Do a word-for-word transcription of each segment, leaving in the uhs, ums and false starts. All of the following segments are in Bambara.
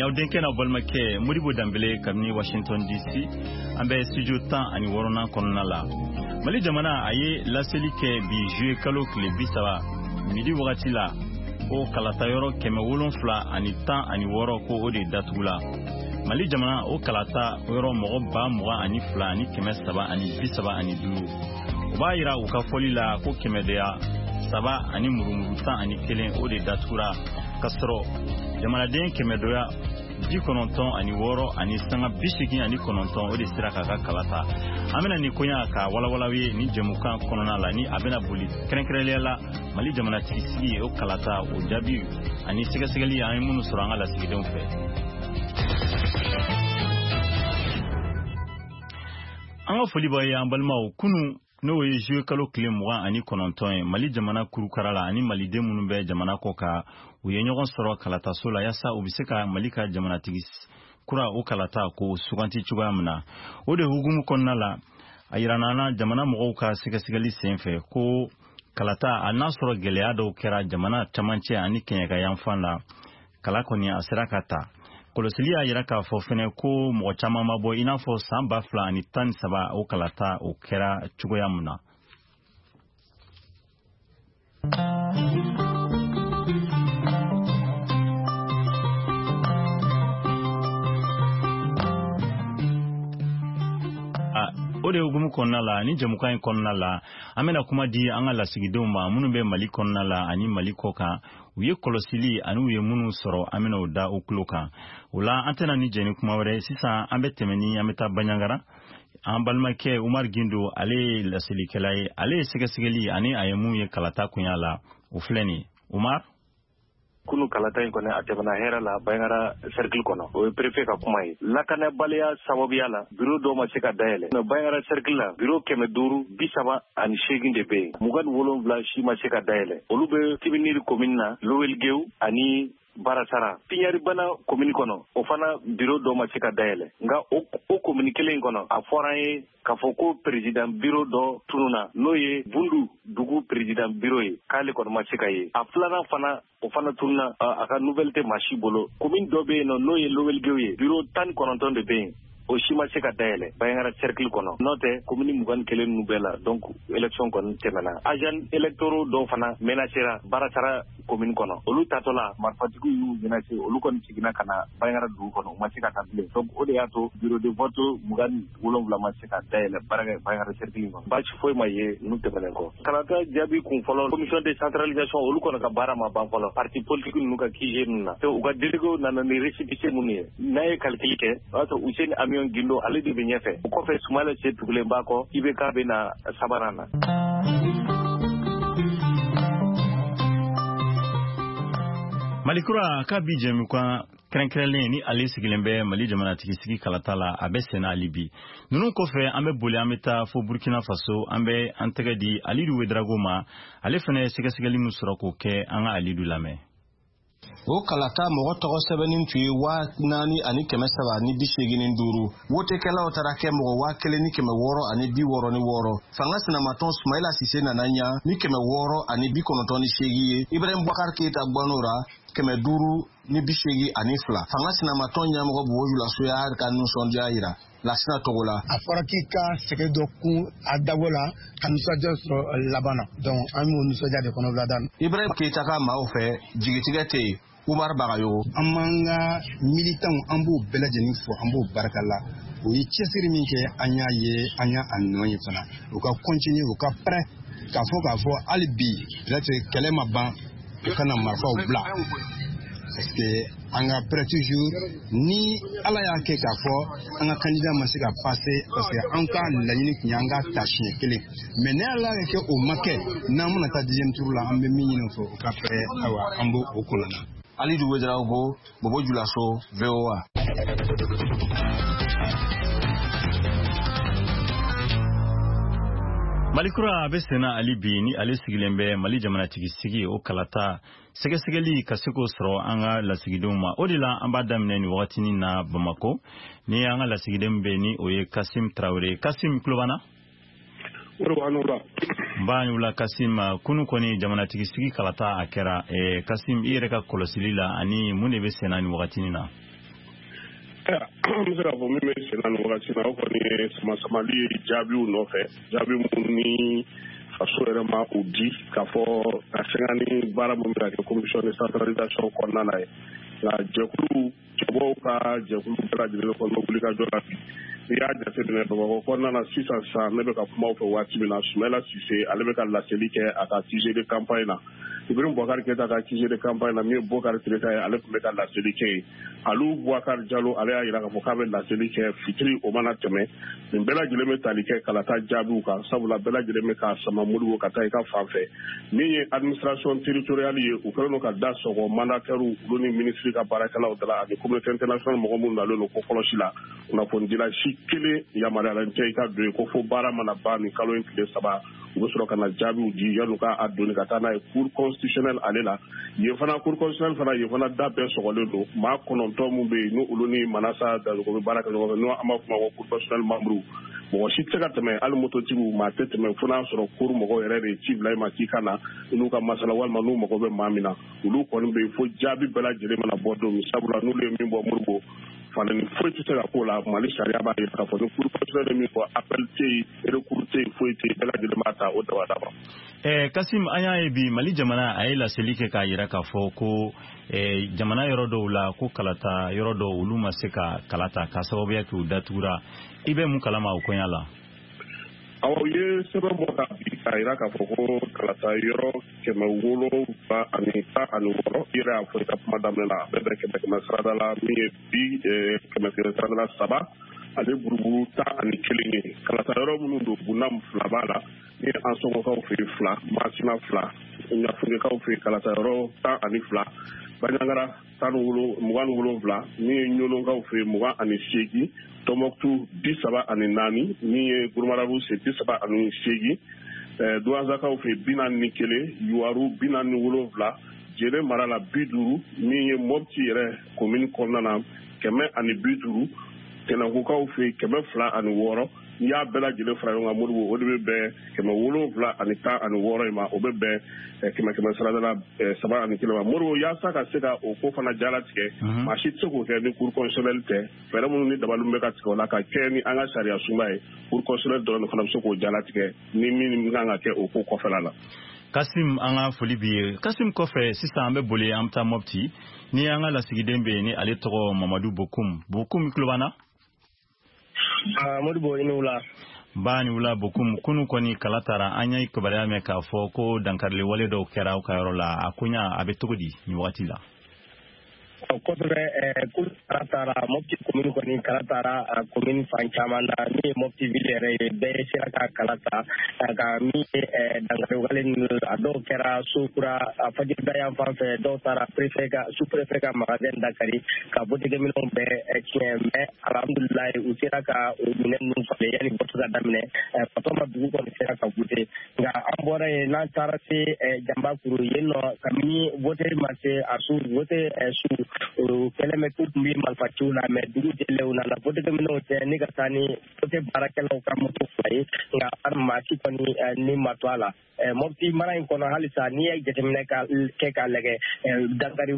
Aw denkɛ n'aw balimakɛ Modibo Danbele kabini Washington D C, an bɛ studio tan ani wɔɔrɔnan kɔnɔna la. Mali jamana a ye laseli kɛ bi juillet kalo tile bi saba midi wagati la, ko kalata yɔrɔ kɛmɛ wolonfila ani tan ani wɔɔrɔ ko o de datugula. Mali jamana o kalata yɔrɔ mɔgɔ ba mugan ani fila ani kɛmɛ saba ani bi saba ani duuru. O b'a yira u ka fɔli la ko kɛmɛdenya saba ani murumuru tan ani kelen o de datugura, ka sɔrɔ jamanaden kɛmɛdɔya bi kɔnɔntɔn ani wɔɔrɔ ani sanga bi seegin ani kɔnɔntɔn o de sera k'a ka kala ta. An bɛna nin koɲa ka walawalaw ye nin jɛmukan kɔnɔna la, ni a bɛna boli kɛrɛnkɛrɛnnenya la Mali jamanatigisigi o kalata o jaabi ani sɛgɛsɛgɛli an ye minnu sɔrɔ an ka lasigidenw fɛ. An ka foli b'aw ye an balimaw, kunun n'o ye juillet kalo tile mugan ani kɔnɔntɔn ye, Mali jamana kurukara la ani maliden minnu bɛ jamana kɔ kan, u ye ɲɔgɔn sɔrɔ kalataso la yaasa u bɛ se ka Mali ka jamanatigi kura o kalata k'o suganti cogoya min na. O de hukumu kɔnɔna la, a yirana an na jamana mɔgɔw ka sɛgɛsɛgɛli senfɛ ko kalata a n'a sɔrɔ gɛlɛya dɔw kɛra jamana camancɛ ani kɛɲɛka yanfan la, kala kɔni a sera ka ta. Kɔlɔsili y'a yira k'a fɔ fɛnɛ ko mɔgɔ caman ma bɔ i n'a fɔ san ba fila ani tan ni saba o kalata o kɛra cogoya min na. O de hukumu kɔnɔna la, ni jɛmukan in kɔnɔna la, an bɛna kuma di an ka lasigidenw ma minnu bɛ Mali kɔnɔna la ani Mali kɔ kan. U ye kɔlɔsili ani u ye minnu sɔrɔ, an bɛna o da u tulo kan. O la an tɛna ni jɛ ni kuma wɛrɛ sisan, an bɛ tɛmɛ ni an bɛ taa Banjagara. An balimakɛ Umar Gindo, ale ye laselikɛla ye, ale ye sɛgɛsɛgɛli ani a ye mun ye kalata koɲa la, o filɛ nin ye. Umar, kunu kalata in kɔni a tɛmɛna hɛrɛ la Banjagara cercle kɔnɔ. O ye préfet ka kuma ye. Lakanabaliya sababuya la, bureau dɔw ma se ka dayɛlɛ. Banjagara cercle la, bureau kɛmɛ duuru bi saba ani seegin de bɛ yen, mugan ni wolonwula si ma se ka dayɛlɛ. Olu bɛ Tibiniri commune na, Lowelgew ani Barasara. Piɲaribana commune kɔnɔ, o fana bureau dɔ ma se ka dayɛlɛ. Nka o o commune kelen in kɔnɔ, a fɔra an ye k'a fɔ ko président bureau dɔ tununa, n'o ye Bundu dugu président bureau ye, k'ale kɔni ma se ka ye. A filanan fana, o fana tununa, a ka nouvelle tɛ maa si bolo. Commune dɔ bɛ yen nɔ, n'o ye Lowelgew ye, bureau tan ni kɔnɔntɔn de bɛ yen, o si ma se ka dayɛlɛ Banjagara cercle kɔnɔ. N'o tɛ commune mugan ni kelen ninnu bɛɛ la, donc élection kɔni tɛmɛna. Agent électoraux dɔw fana menacera Barasara commune kɔnɔ, olu tatɔ la marifatigiw y'u menacer, olu kɔni seginna ka na Banjagara dugu kɔnɔ, u ma se ka taa bilen. Donc o de y'a to bureau de vote mugan ni wolonwula ma se ka dayɛlɛ Banjagara cercle kɔnɔ. Baasi foyi ma ye ninnu tɛmɛnen kɔ. Kalata jaabi kun fɔlɔ, commission de centralisation olu kɔni ka baara ma ban fɔlɔ. Parti politique ninnu ka Q G ninnu na, u ka délégués nana ni récépissé minnu ye, n'a ye calcul kɛ, o y'a sɔrɔ Useni Amion Gindo ale de bɛ ɲɛfɛ. O kɔfɛ Sumala Se tugulen b'a kɔ, I B K bɛ na sabanan na. Mali kura ka bi jɛmukan kɛrɛnkɛrɛnlen ni ale sigilen bɛ Mali jamanatigisigi kalata la, a bɛ senna hali bi. Ninnu kɔfɛ, an bɛ boli an bɛ taa fo Burkina Faso, an bɛ an tɛgɛ di Alidu Wedrago ma, ale fana ye sɛgɛsɛgɛli min sɔrɔ k'o kɛ, an ka Alidu lamɛn. O kalata mɔgɔ tɔgɔ sɛbɛnni tun ye waa naani ani kɛmɛ saba ni bi seegin ni duuru. Wotekɛlaw taara kɛ mɔgɔ waa kelen ni kɛmɛ wɔɔrɔ ani bi wɔɔrɔ ni wɔɔrɔ. Fanga sinamatɔn Sumayila Sise nana ɲa ni kɛmɛ wɔɔrɔ ani bi kɔnɔntɔn ni seegin ye. Ibrahim Boubacar Keita gbɔn'o ra kɛmɛ duuru ni bi seegin ani fila. Fanga sinamatɔn ɲɛmɔgɔ Bobo Julaso y'a ka nisɔndiya yira Lasina Togo la. A fɔra k'i ka sɛgɛn dɔ kun a dabɔ la ka nisɔndiya sɔrɔ laban na, donc an y'o nisɔndiya de kɔnɔ wulada. Ibrahim Keita ka maaw fɛ jigitigɛ tɛ yen. Umar Bagayogo. An b'an ka militants an b'o bɛɛ lajɛlen fo, an b'o barika la. U ye cɛsiri min kɛ, an y'a ye, an y'a nɔ ye fana. U ka continuer, u ka prêt k'a fɔ k'a fɔ hali bi peut-être kɛlɛ ma ban, u kana marifaw bila. Parce que an ka prêt toujours, ni Ala y'a kɛ k'a fɔ an ka candidat ma se ka passer, parce que an ka laɲini tun ye an ka ta siɲɛ kelen. Mais ni Ala y'a kɛ o ma kɛ, n'an bɛna taa deuxième tour la, an bɛ min ɲini u fɛ, u ka prêt, ayiwa an b'o o kɔnɔ na. Alidu Wedraogo, Bobo Julaso, V O A. Mali kura a bɛ senna hali bi, ni ale sigilen bɛ Mali jamanatigisigi o kalata sɛgɛsɛgɛli ka se k'o sɔrɔ an ka lasigidenw ma. O de la an b'a daminɛ nin wagatinin na Bamakɔ, ni an ka lasigiden bɛ ni o ye Kasim Tarawele. Kasim, tulo b'an na? Nba ni wula Kasim. Kunu kɔni jamanatigisigi kalata a kɛra. Kasim, i yɛrɛ ka kɔlɔsili la ani mun de bɛ senna nin wagatinin na? An bɛ se k'a fɔ min bɛ sen na nin wagati na, o kɔni ye sama-samali ye jaabiw nɔfɛ, jaabi minnu ni faso yɛrɛ ma u di k'a fɔ ka sɛgɛn ni baara min bɛ ka kɛ commission de centralisation kɔnɔna na ye. Nka jɛkulu cɛbɔw ka jɛkulu bɛɛ lajɛlen kɔni bɛ wuli ka jɔ la bi. N'i y'a jateminɛ Bamakɔ kɔnɔna na sisan sisan, ne bɛ ka kuma aw fɛ waati min na, Sumayila Sise ale bɛ ka laseli kɛ a ka Q G de campagne na. Ibrahim Boubacar Keita ka Q G de campagne na, min ye Bokari Tereta ye, ale tun bɛ ka laseli kɛ yen. Aliou Boubacar Diallo, ale y'a jira k'a fɔ k'a bɛ laseli kɛ fitiri o mana tɛmɛ. Nin bɛɛ lajɛlen bɛ tali kɛ kalata jaabiw kan, sabula bɛɛ lajɛlen bɛ k'a sama Modibo ka taa i ka fan fɛ. Min ye administration territoriale ye, u kɛlen don ka da sɔgɔ mandataires olu ni ministre ka baarakɛlaw da la ani communauté internationale mɔgɔ minnu nalen don ko kɔlɔsi la. Kunnafonidila si kelen yamaruyalen tɛ i ka don yen, ko fo baara mana ban nin kalo in tile saba, u bɛ sɔrɔ ka na jaabiw di yan'u ka a doni ka taa n'a ye cour constitutionnelle ale la. Yen fana, cour constitutionnelle fana, yen fana da bɛɛ sɔgɔlen don. Maa kɔnɔntɔn mun bɛ yen, n'olu ni Manasa Dazogo bɛ baara kɛ ɲɔgɔn fɛ, n'o an b'a fɔ ma ko cour constitutionnelle membre, mɔgɔ si tɛ se ka tɛmɛ, hali mototigiw maa tɛ tɛmɛ, fo n'a sɔrɔ cour mɔgɔw yɛrɛ de ye ci bila i ma k'i ka na i n'u ka masala, walima n'u mago bɛ maa min na. Olu kɔni bɛ yen fo jaabi bɛɛ lajɛlen mana bɔ don min, sabula n'olu ye min bɔ, Modibo, falenni foyi tɛ se ka k'o la. Mali sariya b'a jira k'a fɔ ni cour constitutionnelle ye min fɔ, appel tɛ yen, recours tɛ yen, foyi tɛ yen, bɛɛ lajɛlen b'a ta o dabada ma. Eh, Kasim, an y'a ye bi Mali jamana a ye laseli kɛ k'a jira k'a fɔ ko eh, jamana yɔrɔ dɔw la, ko kalata yɔrɔ dɔw, olu ma se ka kala ta k'a sababuya kɛ u datugura. I bɛ mun kalama o koɲa la? Awɔ, u ye sɛbɛn bɔ ka bi k'a jira k'a fɔ ko kalata yɔrɔ kɛmɛ wolonwula ani tan ani wɔɔrɔ, i yɛrɛ y'a fɔ i ka kuma daminɛ la, a bɛ bɛn kɛmɛ kɛmɛ sarada la, min ye bi kɛmɛ kɛmɛ sarada la saba ani buruburu tan ani kelen ye. Kalata yɔrɔ minnu don, Bunam fila b'a la, ni ye Ansɔngɔkaw fɛ yen fila, Masina fila, Ɲafungekaw fɛ yen kalata yɔrɔ tan ani fila, Banjagara tan ni wolo mugan ni wolonwula, min ye Ɲɔnɔnkaw fɛ yen mugan ani seegin, Tɔnbɔkutu bi saba ani naani, min ye Gurumarabu se bi saba ani seegin, Duwanzakaw fɛ yen bi naani ni kelen, Yuwaru bi naani ni wolonwula, Jene mara la bi duuru, min ye Mɔpti yɛrɛ komini kɔnɔna na kɛmɛ ani bi duuru, Tɛnɛnkukaw fɛ yen kɛmɛ fila ani wɔɔrɔ. N'i y'a bɛɛ lajɛlen fara ɲɔgɔn kan, Modibo, o de bɛ bɛn kɛmɛ wolonwula ani tan ani wɔɔrɔ in ma, o bɛ bɛn kɛmɛ kɛmɛ sarada la saba ani kelen ma. Modibo, yaasa ka se ka o ko fana jalatigɛ, maa si tɛ se k'o kɛ ni cour constitutionnelle tɛ. Fɛɛrɛ minnu ni dabali bɛ ka tigɛ o la ka kɛ ni an ka sariya sunba ye, cour constitutionnelle dɔrɔn de fana bɛ se k'o jalatigɛ ni min kan ka kɛ o ko kɔfɛla la. Kasim, an ka foli b'i ye. Kasim, kɔfɛ sisan an bɛ boli, an bɛ taa Mɔpti ni an ka lasigiden bɛ yen, ni ale tɔgɔ Mamadu Bokum. Bokum, i tulo b'an na? Modibo, i ni wula. Ba ni wula, Bokum. Kunu kɔni kala taara, an ye kibaruya mɛn k'a fɔ ko dankarili wale dɔw kɛra aw ka yɔrɔ la. A koɲa a bɛ cogo di nin wagati la? Kosɛbɛ, kulu kala taara Mopti commune kɔni, kala taara commune fan caman na. Min ye Mopti ville yɛrɛ ye, bɛɛ sera ka kala ta. Nka min ye dankari wale ninnu, a dɔw kɛra so kura a fajirida yan fan fɛ, dɔw taara préfet ka, sous préfet ka magasin dakari ka votekɛminɛnw bɛɛ tiɲɛ. Mais alhamdulilayi, u sera ka o minɛn ninnu falen yanni vote ka daminɛ. Fatɔma dugu kɔni sera ka vote. Nka an bɔra yen, n'an taara se Janbakuru yen nɔ, kabini vote ma se a su vote su, o kɛlen bɛ k'u tun bɛ marifaciw la. Mais dugu jɛlen, u nana votekɛminɛnw cɛ ni ka taa ni vote baarakɛlaw ka moto fila ye, nka maa si kɔni ni ma to a la. Mɔpti mara in kɔnɔ halisa, n'i ye jateminɛ ka kɛ k'a lajɛ, dankari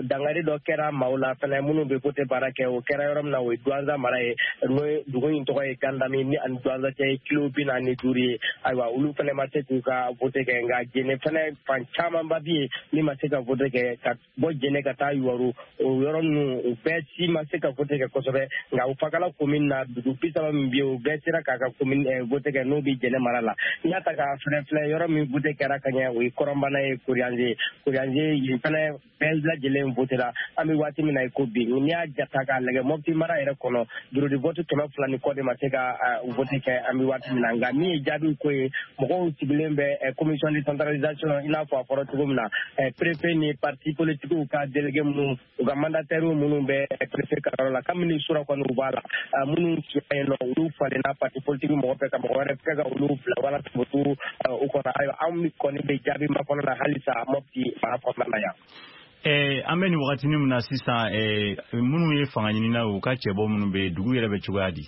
dankari dɔ kɛra maaw la fɛnɛ minnu bɛ vote baara kɛ. O kɛra yɔrɔ min na, o ye Duwanza mara ye, n'o ye dugu in tɔgɔ ye Gandami, ni ani Duwanza cɛ ye kilo bi naani duuru ye. Ayiwa, olu fɛnɛ ma se k'u ka vote kɛ. Nka Jene fɛnɛ fan camanba bɛ yen min ma se ka vote kɛ, ka bɔ Jene ka taa Yuwaru, o yɔrɔ ninnu, u bɛɛ si ma se ka vote kɛ kosɛbɛ. Nka o Fakala commune na, dugu bi saba min bɛ yen, o bɛɛ sera k'a ka commune vote kɛ, n'o bɛ Jɛnɛ mara la. N'i y'a ta k'a filɛ filɛ, yɔrɔ min vote kɛra ka ɲɛ, o ye Kɔrɔnbana ye, Koriyanze Koriyanze yen fɛnɛ bɛɛ lajɛlen vote la an bɛ waati min na i ko bi. N'i y'a jata k'a lajɛ, Mɔpti mara yɛrɛ kɔnɔ, bureau de vote kɛmɛ fila ni kɔ de ma se ka vote kɛ an bɛ waati min na. Nka min ye jaabiw ko ye, mɔgɔw sigilen bɛ commission de centralisation, i n'a fɔ a fɔra cogo min na, préfet ni parti politiques ka délégué minnu, u ka mandataires minnu bɛ préfet ka yɔrɔ la, kabini sura kɔni u b'a la. Minnu siya yen nɔ, olu falenna parti politique mɔgɔ fɛ ka mɔgɔ wɛrɛ kɛ ka olu bila walasa u u kɔnɔ. Ayiwa, anw kɔni bɛ jaabi makɔnɔ na halisa Mɔpti mara kɔnɔna na yan. Eh, an bɛ nin wagatinin min na sisan, eh, minnu ye fanga ɲinina, u ka cɛbɔ minnu bɛ dugu yɛrɛ bɛ cogoya di?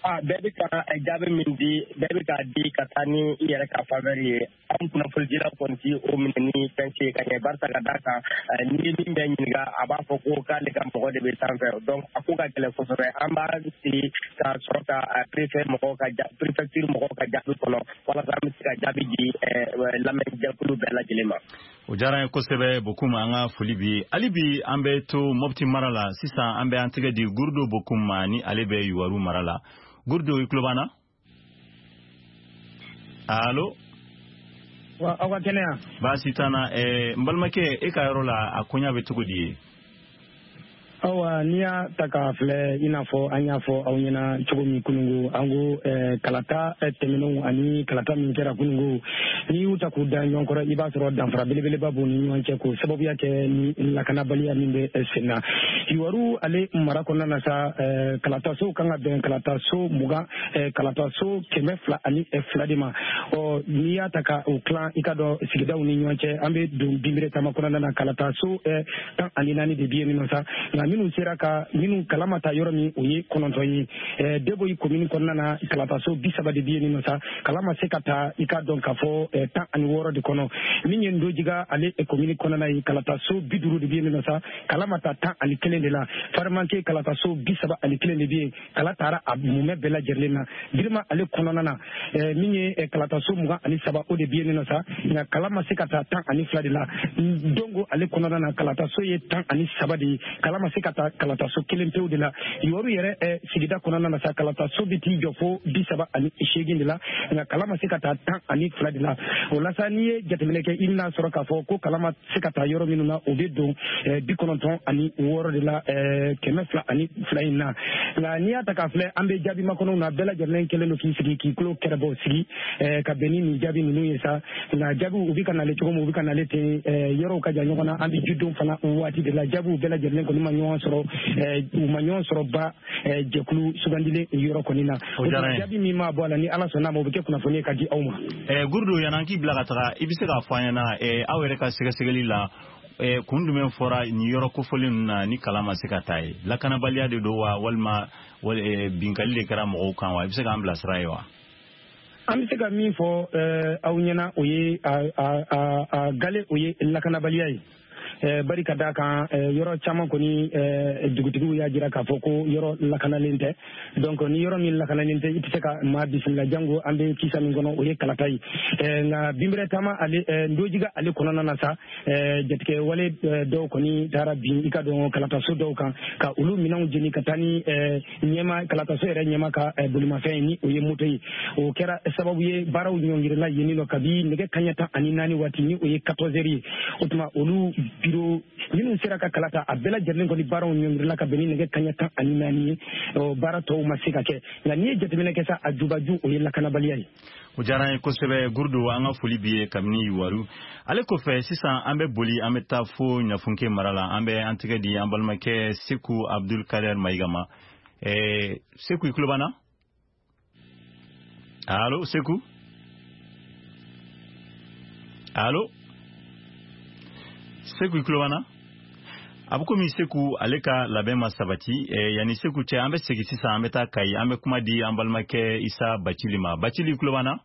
A bɛɛ bɛ ka jaabi min di, bɛɛ bɛ k'a di ka taa ni i yɛrɛ ka faveur ye. Anw kunnafonidilaw kɔni ti o minɛ ni fɛn ci ka ɲɛ, barisa ka d'a kan n'i ye min bɛɛ ɲininka, a b'a fɔ ko k'ale ka mɔgɔ de bɛ sanfɛ. Donc a ko ka gɛlɛn kosɛbɛ. An b'a sigi ka sɔrɔ ka préfet mɔgɔw ka préfecture mɔgɔw ka jaabi kɔnɔ walasa an bɛ se ka jaabi di lamɛnjɛkulu bɛɛ lajɛlen ma. O diyara an ye kosɛbɛ Bokum, an ka foli bi ye. Hali bi an bɛ to Mopti mara la sisan, an bɛ an tɛgɛ di Gurudo Bokum ma ni ale bɛ Yuwaru mara la. Gurudo, i tulo b'an na? Allo? Wa aw ka kɛnɛya? Baasi t'an na. N balimakɛ, e ka yɔrɔ la a koɲa bɛ cogo di ye? Awa, n'i y'a ta k'a filɛ, i n'a fɔ an y'a fɔ aw ɲɛna cogo min kunungo, an ko kalata tɛmɛnenw ani kalata min kɛra kunungo, n'i y'u ta k'u da ɲɔgɔn kɔrɔ, i b'a sɔrɔ danfara belebeleba b'u ni ɲɔgɔn cɛ, k'o sababuya kɛ ni lakanabaliya min bɛ sen na. Yuwaru ale mara kɔnɔna na sa, kalataso kan ka bɛn kalataso mugan, kalataso kɛmɛ fila ani fila de ma. Ɔ n'i y'a ta ka o tilan i ka dɔn sigidaw ni ɲɔgɔn cɛ, an bɛ don Binbere taama kɔnɔna na, kalataso tan ani naani de bɛ yen nɔ sa, nka minnu sera ka minnu kala ma taa yɔrɔ min, o ye kɔnɔntɔn ye. Deboyi komini kɔnɔna na, kalataso bi saba de bɛ yen nɔ sa, kala ma se ka taa i ka dɔn k'a fɔ tan ani wɔɔrɔ de kɔnɔ. Min ye Ndojiga ale komini kɔnɔna ye, kalataso bi duuru de bɛ yen nɔ sa, kala ma taa tan ani kelen de la. Farimanke kalataso bi saba ani kelen de bɛ yen, kala taara a mumɛ bɛɛ lajɛlen na. Girima ale kɔnɔna na, min ye kalataso mugan ani saba, o de bɛ yen nɔ sa, nka kala ma se ka taa tan ani fila de la. Dongo ale kɔnɔna na, kalataso ye tan ani saba de ye, kala ma se ka taa kalataso kelen pewu de la. Yuwaru yɛrɛ sigida kɔnɔna na sa, kalataso bɛ t'i jɔ fo bi saba ani seegin de la, nka kala ma se ka taa tan ani fila de la. O la sa, n'i ye jateminɛ kɛ, i bɛna sɔrɔ k'a fɔ ko kala ma se ka taa yɔrɔ minnu na, o bɛ don bi kɔnɔntɔn ani wɔɔrɔ de la kɛmɛ fila ani fila in na. Nka n'i y'a ta k'a filɛ, an bɛ jaabi makɔnɔw na, bɛɛ lajɛlen kɛlen don k'i sigi k'i tulo kɛrɛbɔ sigi ka bɛn ni nin jaabi ninnu ye sa. Nka jaabiw u bɛ ka nalen cogo min, u bɛ ka nalen ten, yɔrɔw ka jan ɲɔgɔn na. An bɛ jidon fana waati de la, jaabiw bɛɛ lajɛlen kɔni ma ɲɔgɔn sɔrɔ, u ma ɲɔgɔn sɔrɔ ba jɛkulu sugandilen yɔrɔ kɔni na. O jaabi min ma bɔ a la, ni Ala sɔnna a ma, o bɛ kɛ kunnafoni ye ka di aw ma. Gurudo, yan'an k'i bila ka taga, i bɛ se k'a fɔ an ɲɛna aw yɛrɛ ka sɛgɛsɛgɛli la, kun jumɛn fɔra nin yɔrɔ kofɔlen ninnu na ni kalan ma se ka taa ye? Lakanabaliya de don wa, walima binkali de kɛra mɔgɔw kan wa? I bɛ se k'an bilasira ye wa? An bɛ se ka min fɔ aw ɲɛna, o ye a gale, o ye lakanabaliya ye. Bari ka d'a kan, yɔrɔ caman kɔni dugutigiw y'a jira k'a fɔ ko yɔrɔ lakanalen tɛ. Donc ni yɔrɔ min lakanalen tɛ, i tɛ se ka maa bisimila, jango an bɛ kisa min kɔnɔ, o ye kalata ye. Nka Binbere taama ale Ndojiga ale kɔnɔna na sa, jatigɛ wale dɔw kɔni taara bin i ka dɔn kalataso dɔw kan, ka olu minɛnw jeni ka taa ni ɲɛma kalataso yɛrɛ ɲɛma ka bolimafɛn ye, ni o ye moto ye. O kɛra sababu ye baaraw ɲɔngirila yen nɔ kabi nɛgɛ kanɲɛ tan ani naani waati, ni o ye quatorze heures ye. O tuma olu biro minnu sera ka kala ta, a bɛɛ lajɛlen kɔni baaraw ɲɔngirila ka bɛn ni nɛgɛ kanɲɛ tan ani naani ye, baara tɔw ma se ka kɛ. Nka n'i ye jateminɛ kɛ sa, a jubaju o ye lakanabaliya ye. O diyara an ye kosɛbɛ Gurudo, an ka foli b'i ye kabini Yuwaru. Ale kɔfɛ sisan, an bɛ boli, an bɛ taa fo Ɲafunke mara la, an bɛ an tɛgɛ di an balimakɛ Seku Abdul Kader Mayiga ma. Seku, i tulo b'an na? Allo Seku? Allo Seku, i tulo b'an na? A bɛ komi Seku ale ka labɛn ma sabati. Yanni Seku cɛ, an bɛ segin sisan, an bɛ taa Kayi, an bɛ kuma di an balimakɛ Isa Bacili ma. Bacili, i tulo b'an na?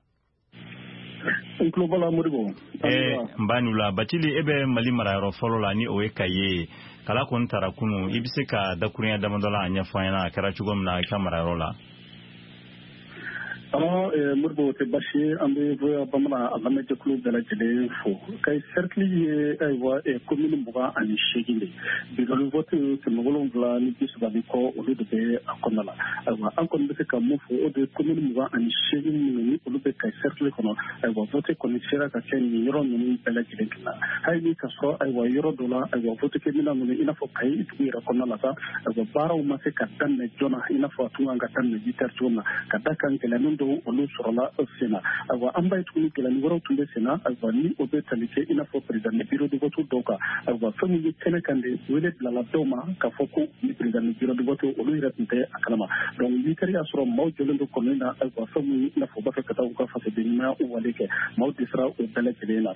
N tulo b'a la Modibo. N b'a n'u la. Bacili, e bɛ Mali marayɔrɔ fɔlɔ la, ni o ye Kayi ye. Kala kɔni taara kunun, i bɛ se ka dakurunya damadɔ la a ɲɛfɔ an ɲɛna a kɛra cogo min na i ka marayɔrɔ la? Alors, Modibo, tɛ baasi ye, an bɛ V O A Bamanan a lamɛnjɛkulu bɛɛ lajɛlen fo. Kayi cercle ye ayiwa commune mugan ani seegin de, bureau vote kɛmɛ wolonwula ni bi saba ni kɔ, olu de bɛ a kɔnɔna la. Ayiwa, an kɔni bɛ se ka mun fɔ, o de ye commune mugan ani seegin minnu ni olu bɛ Kayi cercle kɔnɔ, ayiwa vote kɔni sera ka kɛ nin yɔrɔ ninnu bɛɛ lajɛlen na. Hali ni ka sɔrɔ ayiwa yɔrɔ dɔ la, ayiwa vote kɛ minɛn ninnu, i n'a fɔ Kayi dugu yɛrɛ kɔnɔna la sa, ayiwa baaraw ma se ka daminɛ joona i n'a fɔ a tun kan ka daminɛ huit heures cogo min na, ka da kan gɛlɛya dɔw olu sɔrɔla sen na. Ayiwa, an b'a ye tuguni gɛlɛyani wɛrɛw tun bɛ sen na, ayiwa, ni o bɛ tali kɛ i n'a fɔ président de bureau de vote dɔw kan. Ayiwa, fɛn min ye kɛnɛ kan de, wele bilala dɔw ma k'a fɔ ko ni président de bureau de vote olu yɛrɛ tun tɛ a kalama. Donc n'i kɛra y'a sɔrɔ maaw jɔlen don kɔnɔni na, ayiwa, fɛn min i n'a fɔ u b'a fɛ ka taa u ka fasoden ɲumanya wale kɛ, maaw dɛsɛra o bɛɛ lajɛlen na.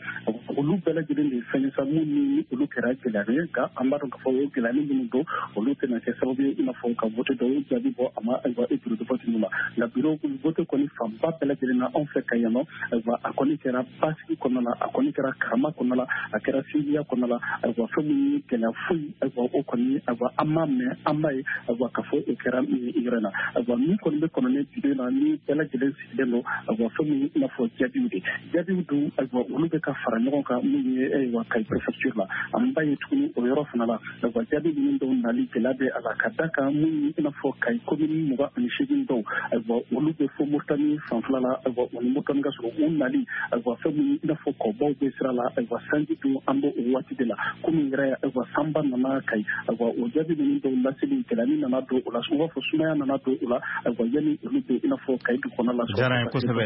Olu bɛɛ lajɛlen de ye fɛn ye sa mun ni olu kɛra gɛlɛya ye, nka an b'a dɔn k'a fɔ o gɛlɛya minnu don, olu tɛna kɛ sababu ye i n'a fɔ ka vote dɔw jaabi bɔ a ma, ayiwa, e bureau de vote ninnu ma. Nka bureau de vote kɔni fanba bɛɛ lajɛlen na anw fɛ ka yan nɔ, ayiwa, a kɔni kɛra basigi kɔnɔna la, a kɔni kɛra karama kɔnɔna la, a kɛra sinjiya kɔnɔna la. Ayiwa, fɛn min ye gɛlɛya foyi, ayiwa, o kɔni, ayiwa, an m'a mɛn, an b'a ye, ayiwa, k'a fɔ o kɛra yɔrɔ in na. Ayiwa, min kɔni bɛ kɔnɔni bi na ni bɛɛ lajɛlen sigilen don, ayiwa, fɛn min i n'a fɔ jaabiw de jaabiw dun, ayiwa, olu bɛ ka fara ɲɔgɔn kan min ye, ayiwa, Kayi préfecture la. An b'a ye tuguni o yɔrɔ fana la, ayiwa, jaabi ninnu dɔw nali gɛlɛya bɛ a la, ka da kan min ye i n'a fɔ Kayi commune mugan ani seegin dɔw, ayiwa, olu bɛ fo Moritani fanfɛla la, ayiwa, o ni Moritani ka sɔrɔ u nali, ayiwa, fɛn min i n'a fɔ kɔbaw bɛ sira la, ayiwa, sanji dun an b'o o waati de la komi yɛrɛ, ayiwa, sanba nana Kayi, ayiwa, o jaabi ninnu dɔw laseli gɛlɛya nana don o la, u b'a fɔ sumaya nana don o la, ayiwa, yanni olu bɛ i n'a fɔ Kayi dugu kɔnɔ la. Diyara n ye kosɛbɛ.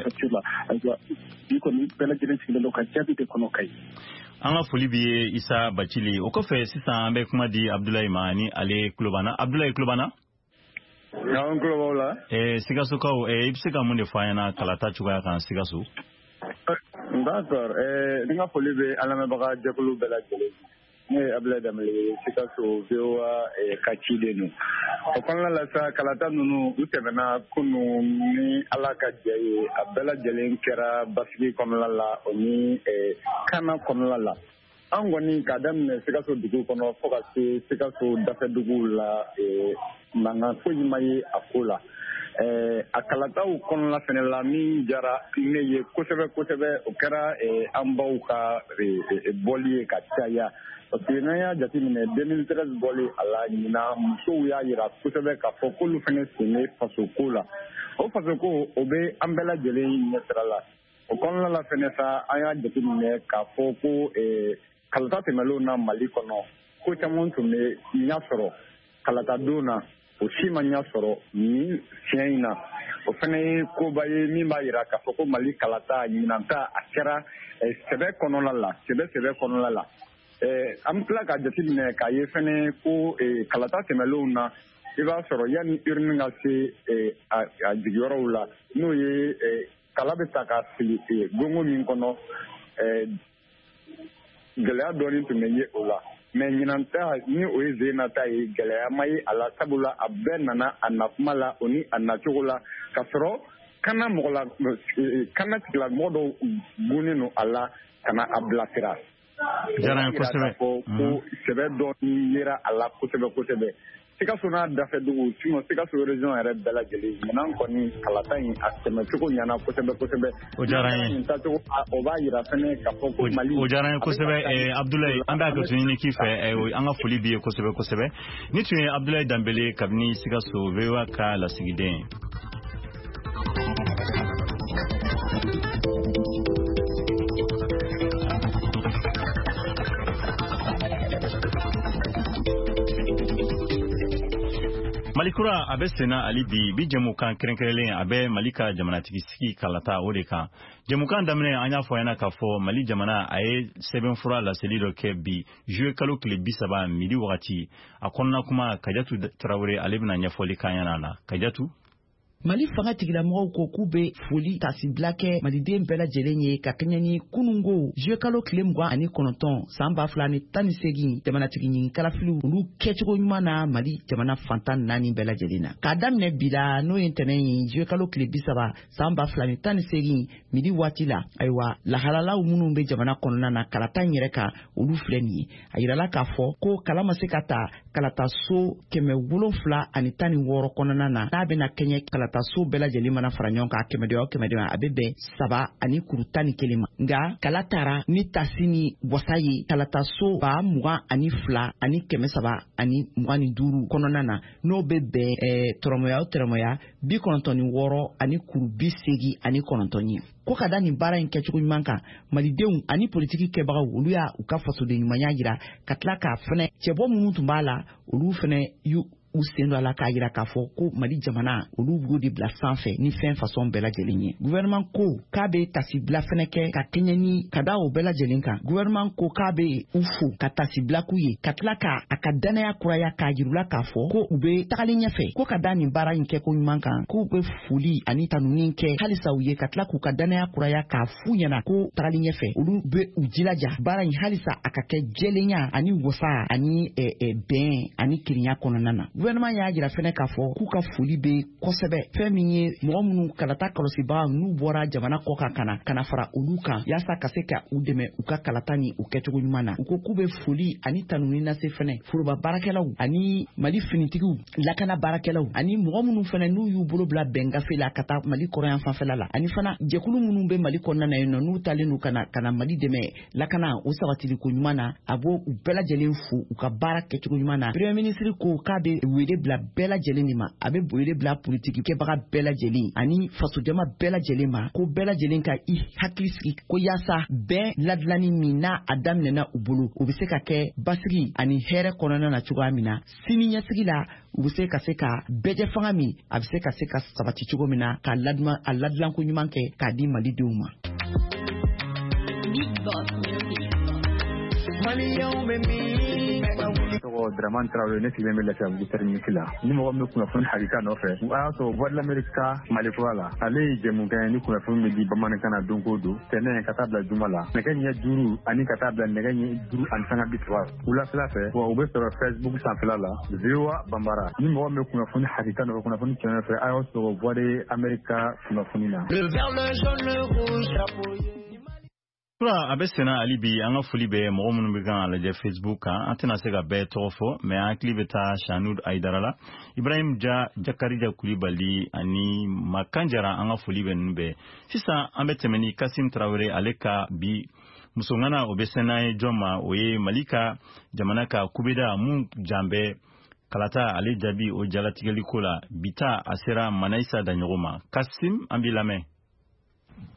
Ayiwa, bi kɔni bɛɛ lajɛlen sigilen don ka jaabi de kɔnɔ Kayi. An ka foli b'i ye, Isa Bacili. O kɔfɛ sisan an bɛ kuma di Abdulayi ma ni ale Kulobana. Abdulayi Kulobana. An tulo b'aw la. Eh, Sikasokaw, eh, i bɛ se ka mun de fɔ an ɲɛna kalata cogoya kan Sikaso? D'accord, eh, n ka foli bɛ an lamɛnbaga jɛkulu bɛɛ lajɛlen. Ne ye Abdulayi Danbele ye, Sikaso V O A ka ciden don. O kɔnɔna la sa, kalata ninnu u tɛmɛna kunun ni Ala ka jɛ ye, a bɛɛ lajɛlen kɛra basigi kɔnɔna la, o ni kana kɔnɔna la. An kɔni k'a daminɛ Sikaso dugu kɔnɔ fo ka se Sikaso dafɛduguw la, mankan foyi ma ye a ko la. A kalataw kɔnɔna fɛnɛ la, min jara ne ye kosɛbɛ kosɛbɛ, o kɛra an baw ka bɔli ye ka caya. Parce que n'an y'a jateminɛ deux mille treize bɔli a la, ɲinan musow y'a yira kosɛbɛ k'a fɔ k'olu fɛnɛ sen bɛ fasoko la. O fasoko o bɛ an bɛɛ lajɛlen ɲɛsira la. O kɔnɔna la fɛnɛ sa, an y'a jateminɛ k'a fɔ ko kalata tɛmɛnlenw na Mali kɔnɔ, ko caman tun bɛ ɲɛ sɔrɔ kalata don na, o si ma ɲɛ sɔrɔ nin siɲɛ in na. O fɛnɛ ye koba ye min b'a yira k'a fɔ ko Mali kalata ɲinan ta a kɛra sɛbɛ kɔnɔna la, sɛbɛ sɛbɛ kɔnɔna la. An bɛ tila k'a jateminɛ k'a ye fɛnɛ ko kalata tɛmɛnlenw na, i b'a sɔrɔ yanni urne ka se a jigiyɔrɔw la, n'o ye kala bɛ ta ka fili gongo min kɔnɔ, gɛlɛya dɔɔnin tun bɛ ye o la. Mais ɲinan ta ni o ye Zena ta ye, gɛlɛya ma ye a la, sabula a bɛɛ nana a nakuma la o ni a nacogo la, k'a sɔrɔ kana mɔgɔ la, kana tigilamɔgɔ dɔw gunnen don a la ka na a bilasira. Diyara n ye kosɛbɛ. Ko sɛbɛ dɔɔnin yera a la kosɛbɛ kosɛbɛ. Sikaso n'a dafɛdugu, sinon Sikaso région yɛrɛ bɛɛ lajɛlen, ɲinan kɔni kalata in a tɛmɛcogo ɲɛna kosɛbɛ kosɛbɛ. O diyara n ye. Nin taacogo o b'a yira fɛnɛ k'a fɔ ko Mali. O diyara n ye kosɛbɛ, Abdulayi, an bɛ hakɛto ɲini k'i fɛ, an ka foli b'i ye kosɛbɛ kosɛbɛ. Ni tun ye Abdulayi Danbele kabini Sikaso V O A ka lasigiden ye. Mali kura a bɛ senna hali bi, bi jɛmukan kɛrɛnkɛrɛnlen a bɛ Mali ka jamanatigi sigi kalata o de kan. Jɛmukan daminɛ an y'a fɔ ɲɛna k'a fɔ Mali jamana a ye sɛbɛnfura laseli dɔ kɛ bi juillet kalo tile bi saba midi wagati. A kɔnɔna kuma Kajatu Tarawele ale bɛna ɲɛfɔli k'an ɲɛna la. Kajatu. Mali fanga tigilamɔgɔw ko k'u bɛ foli tasibila kɛ maliden bɛɛ lajɛlen ye ka kɛɲɛ ni kunungo juillet kalo tile mugan ani kɔnɔntɔn san ba fila ni tan ni seegin jamanatigi ɲinikalafiliw olu kɛcogo ɲuman na Mali jamana fantan naani bɛɛ lajɛlen na. K'a daminɛ bi la, n'o ye ntɛnɛn ye juillet kalo tile bi saba san ba fila ni tan ni seegin midi waati la, ayiwa, lahalalaw minnu bɛ jamana kɔnɔna na kalata in yɛrɛ kan, olu filɛ nin ye. A yirala k'a fɔ ko kala ma se ka ta kalataso kɛmɛ wolonfila ani tan ni wɔɔrɔ kɔnɔna na, n'a bɛna kɛɲɛ kalataso bɛɛ lajɛlen mana fara ɲɔgɔn kan kɛmɛ o kɛmɛ a bɛ bɛn saba ani kuru tan ni kelen ma. Nka kala taara ni tasi ni wasa ye kalataso ba mugan ani fila ani kɛmɛ saba ani mugan ni duuru kɔnɔna na, n'o bɛ bɛn ɛɛ tɔrɔmɔya o tɔrɔmɔya bi kɔnɔntɔn ni wɔɔrɔ ani kuru bi seegin ani kɔnɔntɔn ye. Ko ka da nin baara in kɛcogo ɲuman kan, malidenw ani politiki kɛbagaw olu y'a u ka fasoden ɲumanya jira, ka tila k'a fɛnɛ cɛbɔ minnu tun b'a la, olu fɛnɛ y'u u sen don a la k'a yira k'a fɔ ko Mali jamana olu b'o de bila sanfɛ ni fɛn fasɔn bɛɛ lajɛlen ye. Gouvernement ko k'a bɛ tasibila fɛnɛ kɛ ka kɛɲɛ ni ka da o bɛɛ lajɛlen kan. Gouvernement ko k'a bɛ u fo ka tasibila k'u ye, ka tila ka a ka danaya kuraya k'a yir'u la k'a fɔ ko u bɛ tagalen ɲɛfɛ, ko ka da nin baara in kɛ ko ɲuman kan, k'u bɛ foli ani tanuni kɛ halisa u ye, ka tila k'u ka danaya kuraya k'a f'u ɲɛna ko tagalen ɲɛfɛ olu bɛ u jilaja baara in halisa a ka kɛ jɛlenya ani wasa ani bɛn ani kirinya kɔnɔna na. Gouvernement y'a jira fɛnɛ k'a fɔ k'u ka foli bɛ kosɛbɛ fɛn min ye mɔgɔ minnu kalata kɔlɔsibaga n'u bɔra jamana kɔ kan ka na ka na fara olu kan yaasa ka se ka u dɛmɛ u ka kalata ni u kɛcogo ɲuman na. U ko k'u bɛ foli ani tanuni lase fɛnɛ foroba baarakɛlaw ani Mali finitigiw, lakana baarakɛlaw ani mɔgɔ minnu fɛnɛ n'u y'u bolo bila bɛn gafe la ka taa Mali kɔrɔyan fanfɛla la, ani fana jɛkulu minnu bɛ Mali kɔnɔna na yen nɔ n'u talen don ka na ka na Mali dɛmɛ lakana o sabatili ko ɲuman na, a b'o u bɛɛ lajɛlen fo u ka baara kɛcogo ɲuman na. Premier ministre ko k'a bɛ wele bila bɛɛ lajɛlen de ma, a bɛ wele bila politiki kɛbaga bɛɛ lajɛlen ani fasojama bɛɛ lajɛlen ma, ko bɛɛ lajɛlen ka i hakili sigi ko yaasa bɛn ladilanni min n'a a daminɛna u bolo o bɛ se ka kɛ basigi ani hɛrɛ kɔnɔna na cogoya min na, sini ɲɛsigi la u bɛ se ka se ka bɛɛjɛ fanga min a bɛ se ka se ka sabati cogo min na k'a ladilan a ladilanko ɲuman kɛ k'a di Malidenw ma. Tɔgɔ Dramane Traoré, ne sigilen bɛ Lafiyabugu terminus la. Ni mɔgɔ min bɛ kunnafoni hakika nɔfɛ, a y'a sɔrɔ Voix de l'Amérique ka Mali kura la, ale ye jɛmukan ye ni kunnafoni bɛ di bamanankan na don o don, tɛnɛn ka taa bila juma la, nɛgɛ ɲɛ duuru ani ka taa bila nɛgɛ ɲɛ duuru ani sanga bi saba wulafɛla fɛ. Wa u bɛ sɔrɔ Facebook sanfɛla la, V O A Bambara. Ni mɔgɔ min bɛ kunnafoni hakika nɔfɛ, kunnafoni tiɲɛ nɔfɛ, a y'a sɔrɔ Voix de l'Amérique ka kunnafoni na. Kura a bɛ senna hali bi, an ka foli bɛ mɔgɔ minnu bɛ kan lajɛ Facebook kan, an tɛna se ka bɛɛ tɔgɔ fɔ, mais an hakili bɛ taa Shanud Aidara la, Ibrahim Ja, Jakarija Kulibali ani Makan Jara, an ka foli bɛ ninnu bɛɛ. Sisan an bɛ tɛmɛ ni Kasim Traoré ale ka bi musoŋana, o bɛ sɛnɛ ye jɔn ma, o ye Mali ka jamana ka kubeda mun jan bɛ kalata ale jaabi o jalatigɛli ko la. Bi ta a sera Manayisa Daɲɔgɔ ma. Kasim, an b'i lamɛn.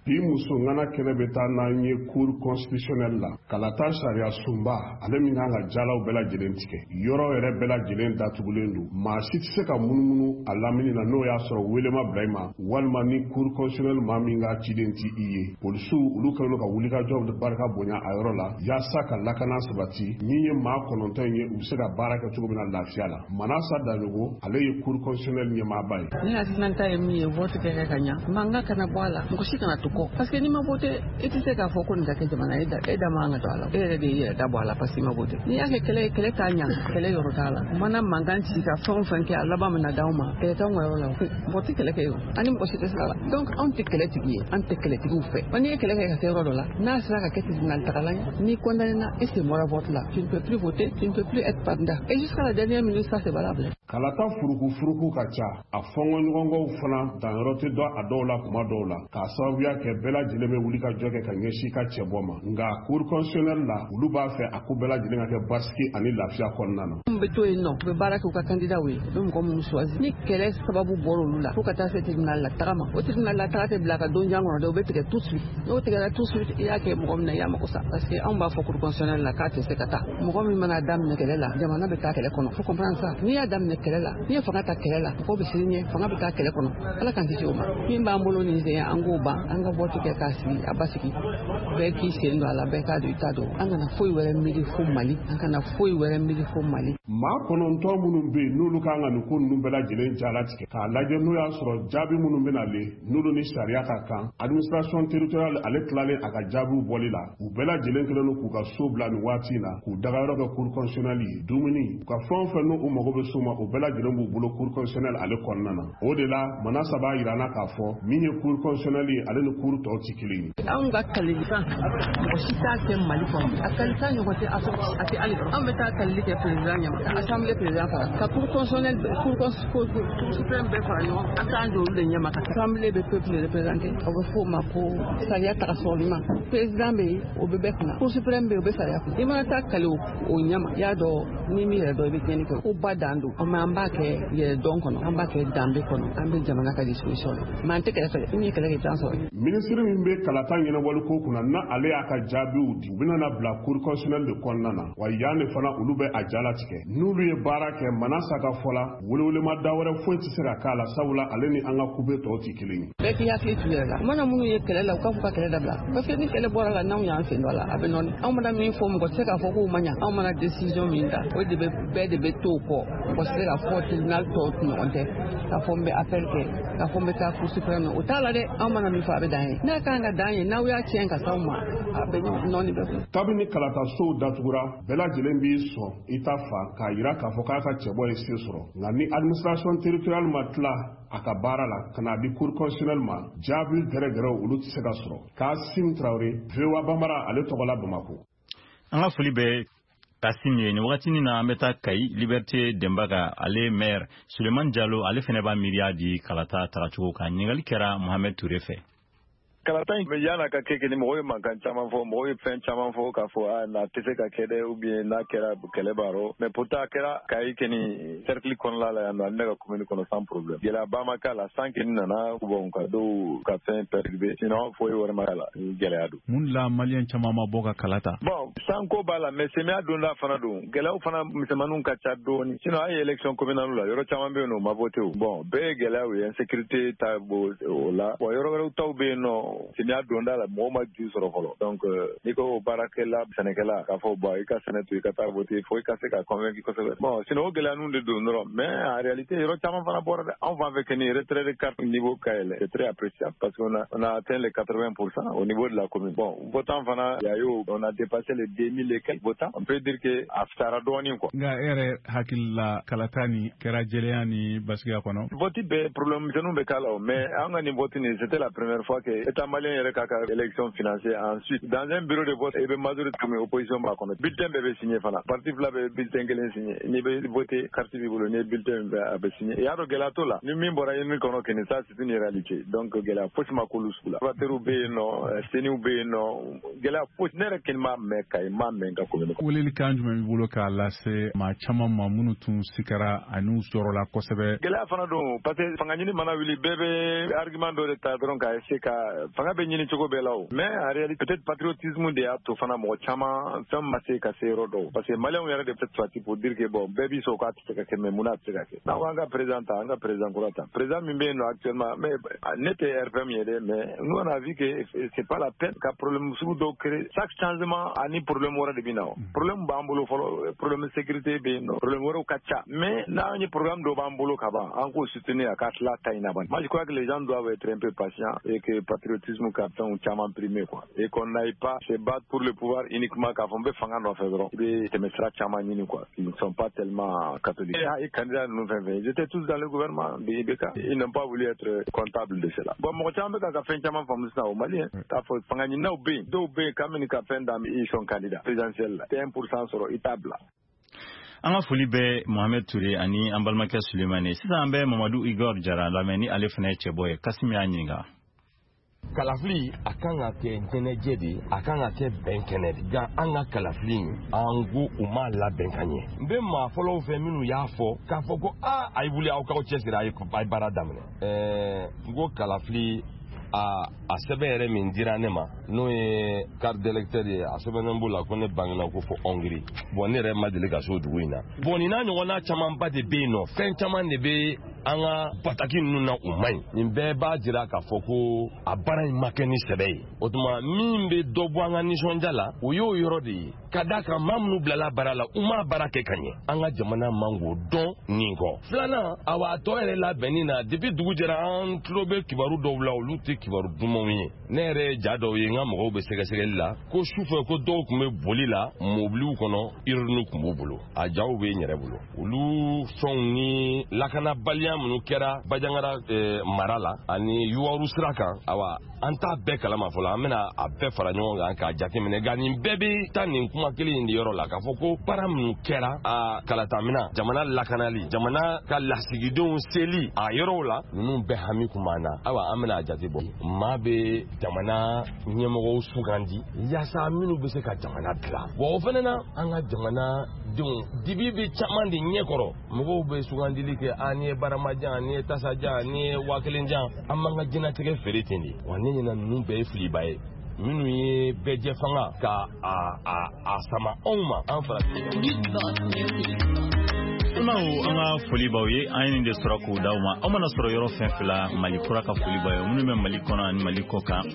Bi muso ŋana kɛnɛ bɛ taa n'an ye cour constitutionnelle la, kalata sariya sunba ale min kan ka jalaw bɛɛ lajɛlen tigɛ, yɔrɔ yɛrɛ bɛɛ lajɛlen datugulen don, maa si tɛ se ka munumunu a lamini na n'o y'a sɔrɔ wele ma bila i ma, walima ni cour constitutionnelle maa min ka ciden ti i ye. Polisiw olu kɛlen don ka wulikajɔ barika bonya a yɔrɔ la yaasa ka lakana sabati. Min ye maa kɔnɔntɔn in ye, u bɛ se ka baara kɛ cogo min na lafiya la. Manasa Daɲogo ale ye cour constitutionnelle ɲɛmaaba ye. Ne hakilinata ye min ye, vote kɛ kɛ ka ɲa, mankan kana bɔ a la, mɔgɔ si kana to kɔ, parce que n'i ma vote i tɛ se k'a fɔ ko nin ka kɛ jamana ye, e da man kan ka to a la, e yɛrɛ de y'i yɛrɛ da bɔ a la parce que i ma vote. N'i y'a kɛ kɛlɛ ye, kɛlɛ t'a ɲa, kɛlɛ yɔrɔ t'a la. Mana mankan ci ka fɛn o fɛn kɛ, a laban bɛna d'aw ma, kɛlɛ t'anw ka yɔrɔ la, mɔgɔ tɛ kɛlɛ kɛ o, ani mɔgɔ si tɛ sira la. Donc anw tɛ kɛlɛtigi ye, an tɛ kɛlɛtigiw fɛ. Wa n'i ye kɛlɛ kɛ ka se yɔrɔ dɔ la, n'a sera ka kɛ tribunal tagala ye, n'i condamné na, i sen bɔra vote la, tu ne peux plus voter, tu ne peux plus être candidat, et jusqu'à la dernière minute ça c'est valable. Kalata furuku furuku ka ca, a fɔnkɔɲɔgɔnkɔw fana danyɔrɔ tɛ dɔn a dɔw la kuma dɔw la, k'a sababuya kɛ bɛɛ lajɛlen bɛ wuli ka jɔ kɛ ka ɲɛsin ka cɛbɔ ma. Nka cour constitutionnelle la, olu b'a fɛ a ko bɛɛ lajɛlen ka kɛ basigi ani lafiya kɔnɔna na. Minnu bɛ to yen nɔ, u bɛ baara kɛ u ka candidat ye, u bɛ mɔgɔ minnu choisi. Ni kɛlɛ sababu bɔra olu la, fo ka taa se tribunal la taga ma, o tribunal la taga tɛ bila ka don jan kɔnɔ dɛ, o bɛ tigɛ tout de suite. N'o tigɛra tout de suite, i y'a kɛ mɔgɔ min na, i y'a mako sa. Parce que anw b'a fɔ cour constitutionnelle la k'a tɛ se ka taa. Mɔgɔ min mana daminɛ kɛlɛ la, jamana bɛ taa kɛlɛ kɔnɔ. Faut comprendre ça. N'i y'a daminɛ kɛlɛ la, n'i ye fanga ta kɛlɛ la, mɔgɔw bɛ siran ɲɛ, fanga bɛ taa kɛlɛ kɔnɔ. Ala k'an kisi o ma. Min b'an bolo nin sen, an k'o ban, an ka vote kɛ k'a sigi a basigi, bɛɛ k'i sen don a la, bɛɛ k'a don i ta don. An kana foyi wɛrɛ miiri fo Mali, an kana foyi wɛrɛ miiri fo Mali. Maa kɔnɔntɔn minnu bɛ yen n'olu kan ka nin ko ninnu bɛɛ lajɛlen jalatigɛ k'a lajɛ, n'o y'a sɔrɔ jaabi minnu bɛ nalen n'olu ni sariya ka kan, administration territoriale ale tilalen a ka jaabiw bɔli la, u bɛɛ lajɛlen kɛlen don k'u ka so bila nin waati in na, k'u dagayɔrɔ kɛ cour constitutionnelle ye, dumuni u ka fɛn o fɛn n'u mago bɛ so ma, o bɛɛ lajɛlen b'u bolo cour constitutionnelle ale kɔnɔna na. O de la Manasa b'a yira an na k'a fɔ min ye cour constitutionnelle ye, ale ni cour tɔw tɛ kelen ye. Anw ka kalilikan, mɔgɔ si t'a kɛ Mali kɔnɔ, a kalilikan ɲɔgɔn tɛ a tɛ hali. Anw bɛ taa kalili kɛ président ɲɛma, ka assemblée président fara, ka cour constitutionnelle, cour cour suprême bɛɛ fara ɲɔgɔn kan, an t'an jɔ olu de ɲɛma, ka assemblée bɛ peuple représenter, o bɛ f'o ma ko sariya taga sɔrɔli ma. Président bɛ yen, o bɛ bɛɛ kunna, cour suprême bɛ yen, o bɛ sariya kunna. I mana taa kali o ɲɛma, i y'a dɔn n'i m'i yɛrɛ dɔn, i bɛ tiɲɛni kɛ. Ko ba dan don. Mais an b'a kɛ yɛrɛdɔn kɔnɔ, an b'a kɛ danbe kɔnɔ, an bɛ jamana ka disposition la. Mais an tɛ kɛlɛ fɛ, ni ye kɛlɛ kɛ i t'an sɔrɔ. Minisiri min bɛ kalata ɲɛnabɔli ko kunna, n'a ale y'a ka jaabiw di, u bɛna na bila cour constitutionnelle de kɔnɔna na. Wa yan de fana, olu bɛ a jalatigɛ. N'olu ye baara kɛ, Manasa ka fɔ la, welewelema da wɛrɛ foyi tɛ se ka k'a la, sabula ale ni an ka kube tɔw tɛ kelen ye. Bɛɛ k'i hakili t'u yɛrɛ la. U mana minnu ye kɛlɛ la, u k'a fɔ ka kɛlɛ dabila. Parce que ni kɛlɛ bɔra la, n'anw y'an sen dɔ a la, a bɛ nɔɔni. Anw mana min fɔ, mɔgɔ tɛ se k'a fɔ k'o ma ɲa. Anw mana décision min ta, o de bɛ bɛɛ de bɛ to o kɔ. Mɔgɔ tɛ se k'a fɔ tribunal tɔw ɲɔgɔn tɛ, k'a fɔ n bɛ appel kɛ, k'a fɔ n bɛ taa cour suprême na. O t'a la dɛ. Anw mana min fɔ, a bɛ dan ye. N'a kan ka dan ye, n'aw y'a tiɲɛ ka s'anw ma, a bɛ nɔɔni bɛɛ kun. Kabini kalatasow datugura, bɛɛ lajɛlen b'i sɔn i ta fa k'a yira k'a fɔ k'a ka cɛbɔ ye se sɔrɔ. Nka ni administration territoriale ma tila a ka baara la ka n'a di cour constitutionnelle ma, jaabi gɛrɛgɛrɛw, olu tɛ se ka sɔrɔ. Kasim Tarawele, V O A Bambara, ale tɔgɔ la Bamakɔ. An ka foli bɛ Kasim ye. Nin wagatinin na, an bɛ taa Kayi, Liberté Denbaga, ale maire Suleiman Jalo, ale fɛnɛ b'a miiriya di kalata tagacogo kan. Ɲininkali kɛra Mohamed Ture fɛ. Kalata in yan'a ka kɛ kɛ ni mɔgɔw ye mankan caman fɔ, mɔgɔw ye fɛn caman fɔ k'a fɔ a n'a tɛ se ka kɛ dɛ, ou bien n'a kɛra, kɛlɛ b'a rɔ. Mais pourtant a kɛra Kayi kɛni cercle kɔnɔna la yan nɔ, ani ne ka commune kɔnɔ, sans problème. Gɛlɛyaba ma k'a la. San kɛni nana, bon, ka dɔw ka fɛn perturbé, sinon foyi wɛrɛ ma k'a la, gɛlɛya don. Mun la maliyɛn caman ma bɔ ka kala ta? Bon, sanko b'a la, mais samiya donda fana don, gɛlɛyaw fana misɛnmaninw ka ca dɔɔni. Sinon a ye élection communale la, yɔrɔ caman bɛ yen nɔ, u ma voté o. Bon, bɛɛ ye gɛlɛyaw ye, insécurité ta bo o la. Bon, yɔrɔ wɛrɛw taw bɛ yen nɔ, samiya donda la, mɔgɔw ma ju sɔrɔ fɔlɔ. Donc n'i ko baarakɛla, sɛnɛkɛla, k'a fɔ bon, i ka sɛnɛ to, i ka taa voter, fo i ka se ka convaincre kosɛbɛ. Bon, sinon o gɛlɛya ninnu de don dɔrɔn. Mais en réalité, yɔrɔ caman fana bɔra dɛ. Anw fan fɛ kɛni, retrait de carte niveau ka yɛlɛ, c'est très appréciable parce qu'on a on a atteint les quatre-vingts pour cent au niveau de la commune. Bon, votant fana, il y a eu, on a dépassé les deux mille et quelques votants. On peut dire que a fisayara dɔɔnin quoi. Nka e yɛrɛ hakili la, kalata ni kɛra jɛlenya ni basigiya kɔnɔ? Vote bɛɛ, problème misɛnninw bɛ k'a la o, mais an ka nin vote nin, c'était la première fois que État malien yɛrɛ k'a ka élection financée. Ensuite, dans un bureau de vote, i bɛ majorité comme opposition b'a kɔnɔ, bulletin bɛɛ bɛ signé fana, parti fila bɛ bulletin kelen signé. N'i bɛ voter, carte b'i bolo, n'i ye bulletin bɛɛ, a bɛ signé. I y'a dɔn, gɛlɛya t'o la. Ni min bɔra urne kɔnɔ kɛni, ça c'est une réalité. Donc gɛlɛya fosi ma k'olu sugu la. Observateurs bɛ yen nɔ, CENIw bɛ yen nɔ, gɛlɛya fosi, ne yɛrɛ kɛni m'a mɛn Kayi, m'a mɛn n ka commune kɔnɔ. Weleli kan jumɛn b'i bolo k'a lase maa caman ma minnu tun sikara ani jɔrɔla kosɛbɛ? Gɛlɛya fana don, parce que fanga ɲini mana wuli, bɛɛ bɛ argument dɔ de ta dɔrɔn k'a essayer ka fanga bɛ ɲini cogo bɛɛ la o. Mais en réalité, peut-être patriotisme de y'a to fana mɔgɔ caman fɛn ma se ka se yɔrɔ dɔw, parce que maliyɛnw yɛrɛ de peut sortir pour dire que bon, bɛɛ b'i sɔn k'a tɛ se ka kɛ, mais mun na a tɛ se ka kɛ? N'an ko an ka président ta, an ka président kura ta, président min bɛ yen nɔ actuellement, mais ne tɛ R P M ye dɛ, mais nous on a vu que c'est pas la peine ka problème sugu dɔw créer. Chaque changement ani problème wɛrɛ de bɛ na. O problème b'an bolo fɔlɔ, problème sécurité bɛ yen nɔ, problème wɛrɛw ka ca. Mais n'an ye programme dɔ b'an bolo ka ban, an k'o soutenir a ka tila ta in na ban. Moi je crois que les gens doivent être un peu patients et que patriotisme ka fɛnw caman primer quoi, et qu'on n'aille pas se battre pour le pouvoir uniquement, k'a fɔ n bɛ fanga nɔfɛ dɔrɔn, i bɛ tɛmɛ sira caman ɲini quoi, ils ne sont pas tellement catholiques. Et candidats ninnu fɛn fɛn, ils étaient tous dans le gouvernement de I B K, ils n'ont pas voulu être comptables de cela. Bon, mɔgɔ caman bɛ ka ka fɛn caman faamu sisan o Mali, k'a fɔ fanga ɲininaw bɛ yen, dɔw bɛ yen kabini ka fɛn d'a, ils sont candidats présidentiels la, tɛ un pour cent sɔrɔ, i t'a bila. An ka foli bɛ Mohamed Ture ani an balimakɛ Sulemani. Sisan an bɛ Mamadu Igor Jara lamɛn, ni ale fana ye cɛbɔ ye. Kasimi y'a ɲininka. Kalafili a kan ka kɛ ɲɛnajɛ de, a kan ka kɛ bɛn kɛnɛ de. Nka an ka kalafili in, an ko u m'a labɛn ka ɲɛ. N bɛ maa fɔlɔw fɛ minnu y'a fɔ k'a fɔ ko aa, a ye wuli, aw k'aw cɛsiri, a ye baara daminɛ. Ɛɛ n ko kalafili a a sɛbɛn yɛrɛ min dira ne ma, n'o ye carte d'électeur ye, a sɛbɛnnen b'o la ko ne bangena ko fo Hongrie. Bon, ne yɛrɛ ma deli ka se o dugu in na. Bon, nin n'a ɲɔgɔnna camanba de bɛ yen nɔ, fɛn caman de bɛ an ka bataki ninnu na, u man ɲi. Nin bɛɛ b'a jira k'a fɔ ko a baara in ma kɛ ni sɛbɛ ye. O tuma, min bɛ dɔ bɔ an ka nisɔndiya la, o y'o yɔrɔ de ye, ka d'a kan maa minnu bilala baara la, u m'a baara kɛ ka ɲɛ. An ka jamana man k'o dɔn nin kɔ. Filanan, awa, a tɔ yɛrɛ labɛnni na, depuis dugu jɛra, an tulo bɛ kibaru dɔw la, olu tɛ kibaru dumanw ye. Ne yɛrɛ ye ja dɔw ye, n ka mɔgɔw bɛ sɛgɛsɛgɛli la, ko sufɛ ko dɔw tun bɛ boli la mobiliw kɔnɔ, urne tun b'u bolo, a jaw bɛ n yɛrɛ bolo. Olu fɛnw ni lakanabaliya. Lakanabaliya minnu kɛra Bandiagara mara la ani Youwarou sira kan, awa an t'a bɛɛ kalama fɔlɔ, an bɛna a bɛɛ fara ɲɔgɔn kan k'a jateminɛ. Nka nin bɛɛ bɛ taa nin kuma kelen in de yɔrɔ la, k'a fɔ ko baara minnu kɛra a kalatamina, jamana lakanali, jamana ka lasigidenw seli a yɔrɔw la, ninnu bɛɛ hami kun b'an na. Ayiwa, an bɛna a jate bɔ. Maa bɛ jamana ɲɛmɔgɔw sugandi yaasa minnu bɛ se ka jamana dilan. Wa o fana na, an ka jamana denw dibi bɛ caman de ɲɛkɔrɔ. Mɔgɔw bɛ sugandili kɛ, a n'i ye barama jan, n'i ye tasa jan, n'i ye waa kelen jan, an b'an ka diɲɛlatigɛ feere ten de. Wa ne ɲɛna, ninnu bɛɛ ye filiba ye. Minnu ye bɛɛjɛ fanga ka a a a sama anw ma, an farafin. Balimaw, an ka foli b'aw ye. An ye nin de sɔrɔ k'o d'aw ma. Aw mana sɔrɔ yɔrɔ fɛn fɛn la, Mali kura ka foli b'aw ye, minnu bɛ Mali kɔnɔ ani Mali kɔ kan.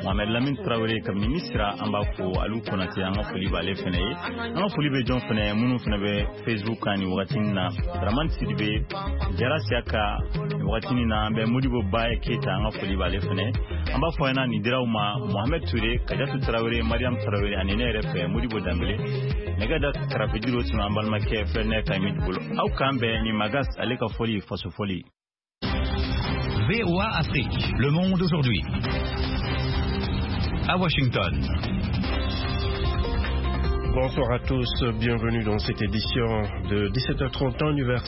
Mohamed Lamine Tarawele kabini Misira, an b'a fo. Alu Konate, an ka foli b'ale fɛnɛ ye. An ka foli bɛ jɔn fɛnɛ? Minnu fɛnɛ bɛ Facebook kan nin wagati na, Dramane Sidibe, Jara Siaka, nin wagati na an bɛ Modibo Baye Keyita, an ka foli b'ale fɛnɛ. An b'a fɔ ɲɛna, nin diraw ma Mohamed Touré, Kajatu Tarawele, Mariam Tarawele ani ne yɛrɛ fɛ Modibo Danbele. Nɛgɛ da karafejuru tun an balimakɛ Fɛnɛ Kayimidi bolo. Aw k'an bɛn ni Magas ale ka fɔli, faso fɔli. V O A Afrique, le monde aujourd'hui. À Washington. Bonsoir à tous, bienvenue dans cette édition de dix-sept heures trente temps universel.